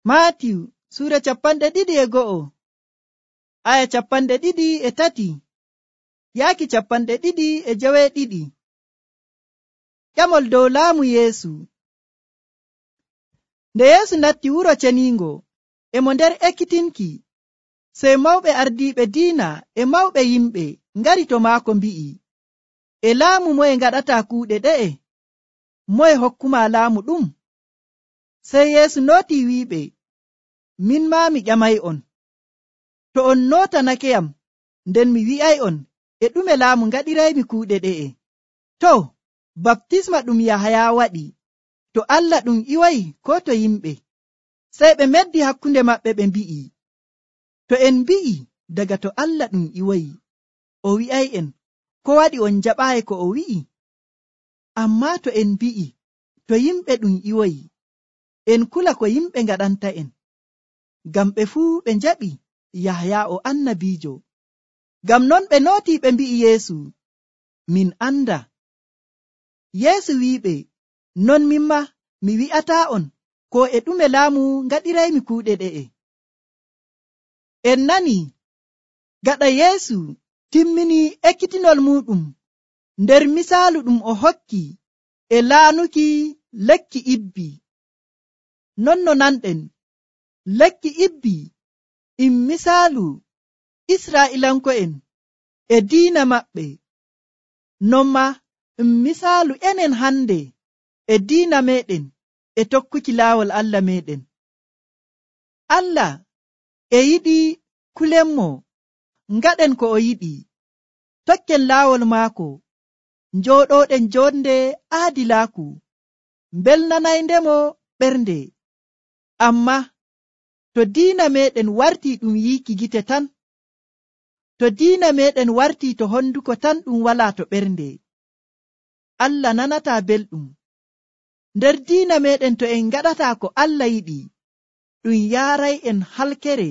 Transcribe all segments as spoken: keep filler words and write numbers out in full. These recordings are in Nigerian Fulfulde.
Maatiyu suura capanɗe ɗiɗi e go'o aya capanɗe ɗiɗi e tati yaaki capanɗe ɗiɗi e joweeɗiɗi. Ƴamol dow laamu Yeesu. Nde Yeesu natti wuro ceniingo e mo nder ekkitinki, sey mawɓe ardiiɓe diina e mawɓe yimɓe ngari to maako mbi'i, e laamu moye ngaɗataa kuuɗe ɗe'e? Moye hokkuma laamu ɗum? Sey Yeesu nootii wi'iɓe, min maa mi ƴamay'on. To on nootanakeyam, nden mi wi'ay'on e ɗume laamu ngaɗiraymi kuuɗe ɗe'e. To, baptisma ɗum Yahaya waɗi, to Allah ɗum iwayi koo to yimɓe? Sey ɓe meddi hakkunde maɓɓe ɓe mbi'i, to en mbi'i daga to Allah ɗum iwayi, o wi'ay'en, ko waɗi on jaɓaayi ko o wi'i? Ammaa to en mbi'i to yimɓe ɗum iwayi, en kula ko yimɓe ngaɗanta'en. Ngam ɓe fuu ɓe njaɓi Yahaya o annabiijo. Ngam non ɓe nootii ɓe mbi'i Yeesu, min anda. Yeesu wi'iɓe, non mimma mi wi'ataa'on ko e ɗume laamu ngaɗiraymi kuuɗe ɗe'e. En nani gaɗa Yeesu timmini ekkitinol muɗum nder misaalu ɗum o hokki e laanuki lekki ibbi. Non no nanɗen, lekki ibbi ɗum misaalu Israa'ilanko'en e diina maɓɓe, non ma ɗum misaalu enen hande e diina meɗen e tokkuki laawol Allah meɗen. Allah e yiɗi kulenmo ngaɗen ko o yiɗi, tokken laawol maako, njooɗoɗen jonde aadilaaku, mbelnanayndemo ɓernde. Amma to diina meɗen wartii ɗum yiiki gite tan, to diina meɗen wartii to honduko tan ɗum walaa to ɓernde, Allah nanataa belɗum. Nder diina meɗen to en ngaɗataa ko Allah yiɗi, ɗum yaaray'en halkere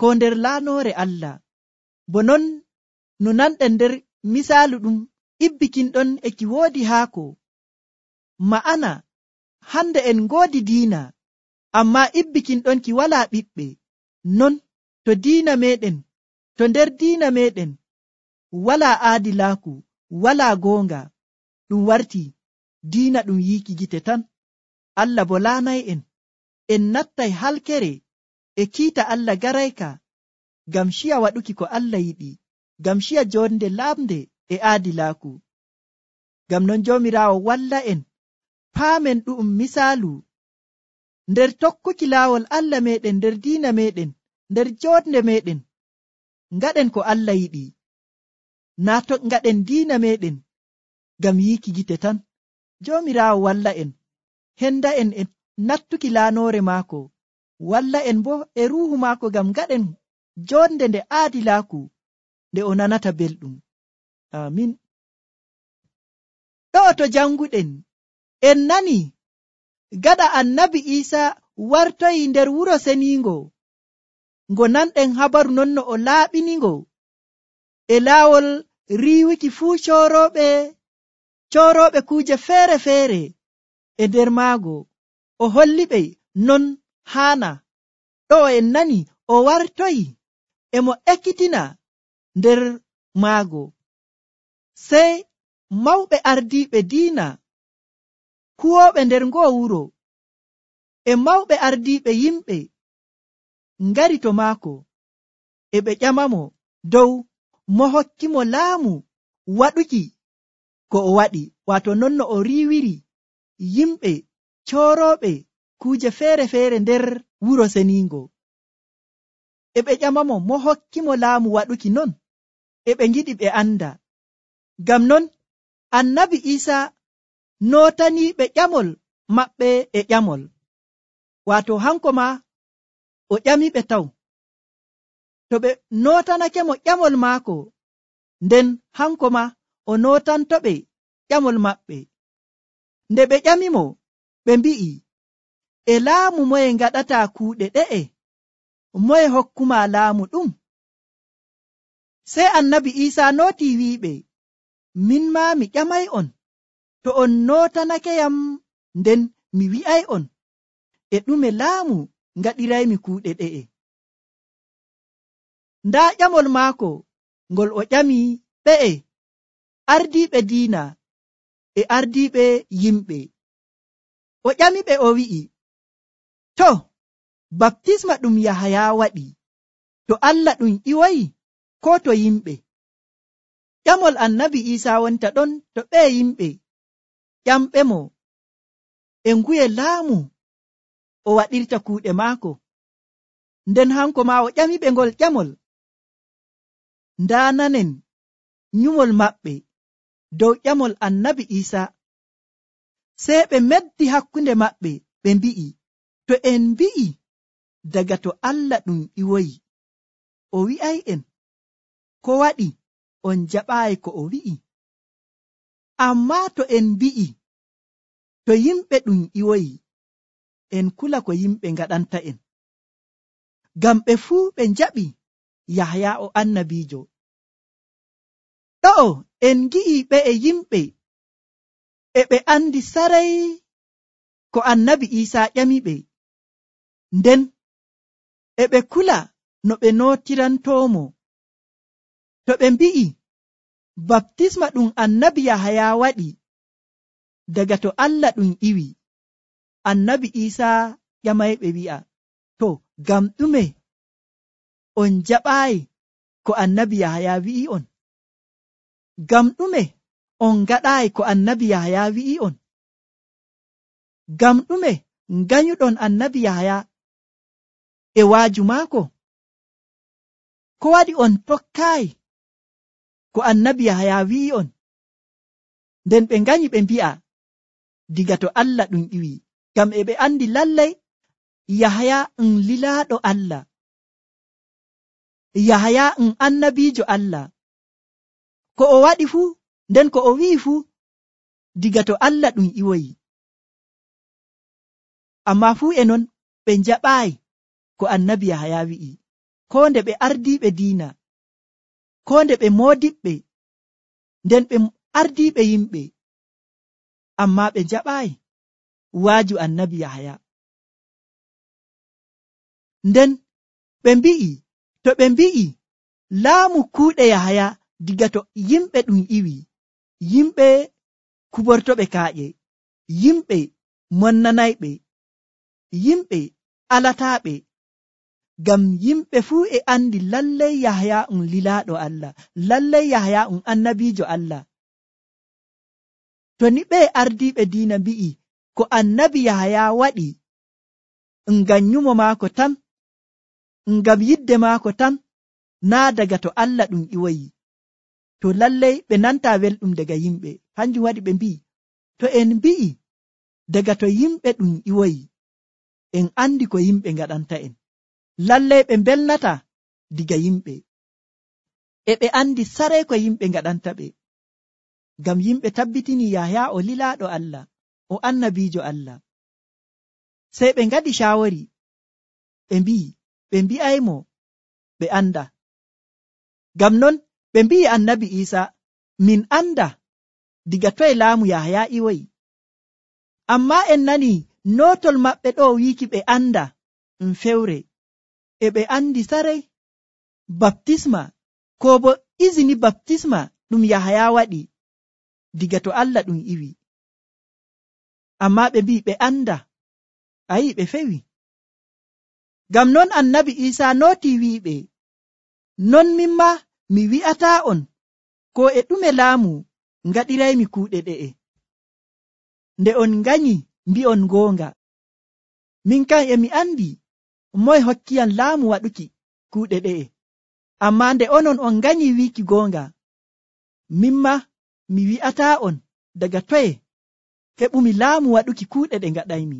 ko nder laanoore Allah. Bo non no nanɗen nder misaalu ɗum ibbikinɗon e ki woodi haako. Ma'ana hande en ngoodi diina, ammaa ibbikinɗon ki walaa ɓiɓɓe. Non to diina meɗen, to nder diina meɗen walaa aadilaaku, walaa goonga, ɗum warti diina ɗum yiiki gite tan. Allah bo laanay'en, en nattay halkere e kiita Allah garayka, ngam ciya waɗuki ko Allah yiɗi, ngam ciya jonde lamde e aadilaaku. Ngam non Joomiraawo walla en paamen ɗu'um misaalu nder tokkuki laawol Allah meɗen, nder diina meɗen, nder jonde meɗen, ngaɗen ko Allah yiɗi, naa to ngaɗen diina meɗen ngam yiiki gite tan. Joomiraawo walla en, henda en e nattuki laanoore maako, walla en bo e ruuhu maako ngam ngaɗen jonde nde aadilaaku, nde o nanata belɗum. Amin. Ɗo to janguɗen, en nani gaɗa annabi Iisa wartoyi nder wuro seniingo, ngo nanɗen habaru non no o laaɓiningo e laawol riiwuki fuu coorooɓe coorooɓe kuuje feere-feere e nder maago, o holliɓe non haana. Ɗo en nani o wartoyi e mo ekkitina nder maago. Sey mawɓe ardiiɓe diina kuwooɓe nder ngoo wuro e mawɓe ardiiɓe yimɓe ngari to maako, e ɓe ƴamamo dow mo hokkimo laamu waɗuki ko o waɗi, waato non no o riiwiri yimɓe coorooɓe kuuje feere-feere nder wuro seniingo. E ɓe ƴamamo mo hokkimo laamu waɗuki non, e ɓe ngiɗi ɓe anda. Ngam non annabi Iisa nootaniiɓe ƴamol maɓɓe e ƴamol, waato hanko ma o ƴamiɓe taw. To ɓe nootanake mo ƴamol maako, nden hanko ma o nootantoɓe ƴamol maɓɓe. Nde ɓe ƴamimo, ɓe mbi'i, e laamu moye ngaɗataa kuuɗe ɗe'e? Moye hokkuma laamu ɗum? Sey annabi Iisa nooti wi'iɓe, min maa mi ƴamay'on, to on nootanakeyam, nden mi wi'ay'on e ɗume laamu ngaɗiraymi kuuɗe ɗe'e. Ndaa ƴamol maako ngol o ƴami ɓe'e ardiiɓe diina e ardiiɓe yimɓe. O ƴamiɓe o wi'i, to baptisma ɗum Yahaya waɗi, to Allah ɗum iwoyi koo to yimɓe? Ƴamol annabi Iisaa wonta ɗon to ɓee yimɓe ƴamɓe mo e nguye laamu o waɗirta kuuɗe maako. Nden hanko maa o ƴamiɓe ngol ƴamol. Ndaa nanen nyumol maɓɓe dow ƴamol annabi Iisaa. Sey ɓe meddi hakkunde maɓɓe ɓe mbi'i, to en mbi'i daga to Allah ɗum iwoyi, o wi'ay'en ko waɗi on jaɓaayi ko o wi'i? Ammaa to en mbi'i to yimɓe ɗum iwoyi, en kula ko yimɓe ngaɗanta'en. Ngam ɓe fuu ɓe njaɓi Yahaya o annabiijo. Ɗo'o en ngi'i ɓe e yimɓe e ɓe andi saray ko annabi Iisaa ƴamiɓe, nden e ɓe kula no ɓe nootirantoomo. To ɓe mbi'i baptisma ɗum annabi Yahaya waɗi daga to Allah ɗum iwi, annabi Iisaa ƴamayɓe wi'a, to ngam ɗume on jaɓaayi ko annabi Yahaya wi'i on? Ngam ɗume on ngaɗaayi ko annabi Yahaya wi'i on? Ngam ɗume nganyuɗon annabi Yahaya e waaju maako? Ko waɗi on tokkaayi ko annabi Yahaya wi'i on? Nden ɓe nganyi ɓe mbi'a diga to Allah ɗum iwi, ngam e ɓe andi lallay Yahaya um lilaaɗo Allah. Yahaya um annabiijo Allah. Ko o waɗi fuu, nden ko o wi'i fuu, diga to Allah ɗum iwoyi. Ammaa fuu e non ɓe njaɓaayi ko annabi Yahaya wi'i, koo nde ɓe ardiiɓe diina, koo nde ɓe moodiɓɓe, nden ɓe ardiiɓe yimɓe, ammaa ɓe njaɓaayi waaju annabi Yahaya. Nden ɓe mbi'i, to ɓe mbi'i laamu kuuɗe Yahaya diga to yimɓe ɗum iwi, yimɓe kubortoɓe kaaƴe, yimɓe monnanayɓe, yimɓe alataaɓe, ngam yimɓe fuu e andi lallay Yahaya um lilaaɗo Allah, lallay Yahaya um annabiijo Allah. To ni ɓee ardiiɓe diina mbi'i ko annabi Yahaya waɗi ngam nyumo maako tan, ngam yidde maako tan, naa daga to Allah ɗum iwoyi, to lallay ɓe nantaa welɗum daga yimɓe. Hanjum waɗi ɓe mbi'i, to en mbi'i daga to yimɓe ɗum iwoyi, en andi ko yimɓe ngaɗanta'en. Lallay ɓe mbelnata diga yimɓe, e ɓe andi saray ko yimɓe ngaɗanta ɓe. Ngam yimɓe tabbitini Yahaya o lilaaɗo Allah, o annabiijo Allah. Sey ɓe ngaɗi caawori, ɓe mbi'i ɓe mbi'aymo ɓe anda. Ngam non ɓe mbi'i annabi Iisaa, min anda diga toye laamu Yahaya iwoyi. Ammaa en nani nootol maɓɓe ɗo wiiki ɓe anda um fewre, e ɓe andi saray baptisma ko bo izini baptisma ɗum Yahaya waɗi diga to Allah ɗum iwi. Ammaa ɓe mbi'i ɓe anda, ayi ɓe fewi. Ngam non annabi Iisaa nooti wi'iɓe, non mimma mi wi'ataa on ko e ɗume laamu ngaɗiraymi kuuɗe ɗe'e. Nde on nganyi mbi'on goonga, min kam e mi andi moye hokkiyam laamu waɗuki kuuɗe ɗe'e. Ammaa nde onon on nganyi wiiki goonga, mimma mi wi'ataa on daga toye heɓumi laamu waɗuki kuuɗe ɗe ngaɗaymi.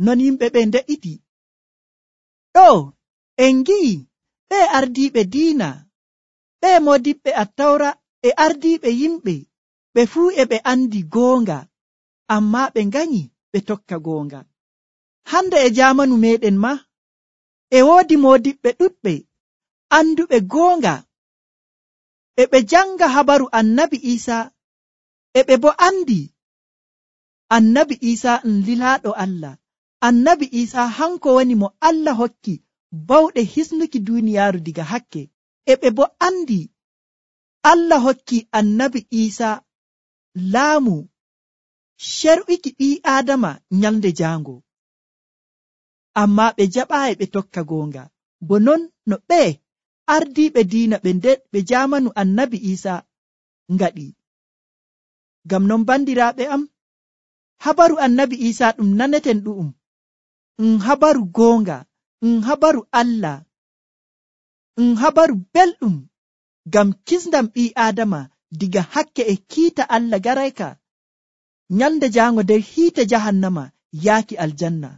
Non yimɓe ɓe nde'iti. Ɗo en ngi'i ɓe ardiiɓe diina, ɓe modiɓɓe attawra e ardiiɓe yimɓe, ɓe fuu e ɓe andi goonga, ammaa ɓe nganyi ɓe tokka goonga. Hande e jaamanu meɗen ma e woodi modiɓɓe ɗuɗɓe anduɓe goonga, e ɓe janga habaru annabi Iisaa, e ɓe bo andi annabi Iisaa um lilaaɗo Allah, annabi Isa hanko woni mo Allah hokki bawɗe hisnuki duniyaaru diga hakke. E ɓe bo andi Allah hokki annabi Isa laamu sher'uki ɓii Aadama nyalde jaango. Amma ɓe jaɓaayi ɓe tokka goonga, bo non no ɓe ardiiɓe diina ɓe nder ɓe jaamanu annabi Isa ngaɗi. Ngam non bandiraaɓe am, habaru annabi Isa ɗum naneten ɗu'um um habaru goonga, um habaru Allah, um habaru belɗum ngam kisndam ɓii Aadama diga hakke e kiita Allah garayka nyalde jaango nder hiite jahannama yaaki aljanna.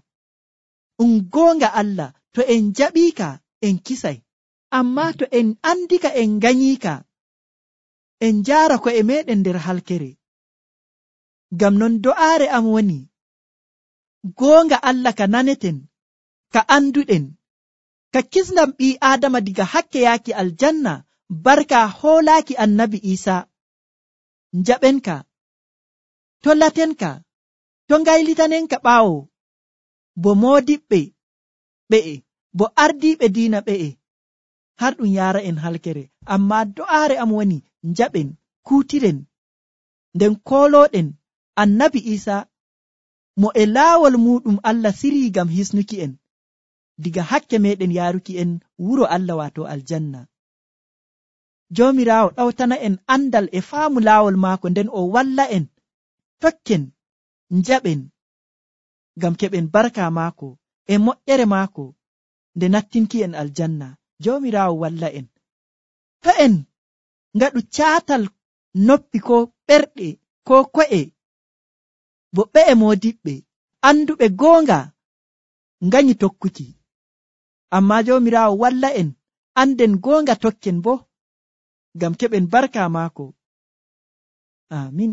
Um goonga Allah, to en jaɓiika en kisay, amma to en andika en ganyiika en jaara ko e meɗen nder halkere. Ngam non do'aare am woni goonga Allah ka naneten, ka anduɗen, ka kisndam ɓii Aadama diga hakke yaaki aljanna barka hoolaaki annabi Isa. Njaɓenka, to latenka, to ngaylitanenka ɓaawo, bo moodiɓɓe ɓe'e, bo ardiiɓe diina ɓe'e, har ɗum yaara en halkere. Amma do'aare am woni njaɓen, kuutiren, nden koolooɗen annabi Isa mo e laawol muɗum Allah sirii ngam hisnuki en diga hakke meɗen yaaruki en wuro Allah waato aljanna. Joomiraawo ɗawtana en andal e faamu laawol maako, nden o walla en tokken njaɓen ngam keɓen barka maako e moƴƴere maako nde nattinki en aljanna. Joomiraawo walla en. To en ngaɗu caatal noppi ko ɓerɗe ko ko'e, bo ɓe'e moodiɓɓe anduɓe goonga nganyi tokkuki. Amma Joomiraawo walla en anden goonga tokken bo ngam keɓen barka maako. Amin.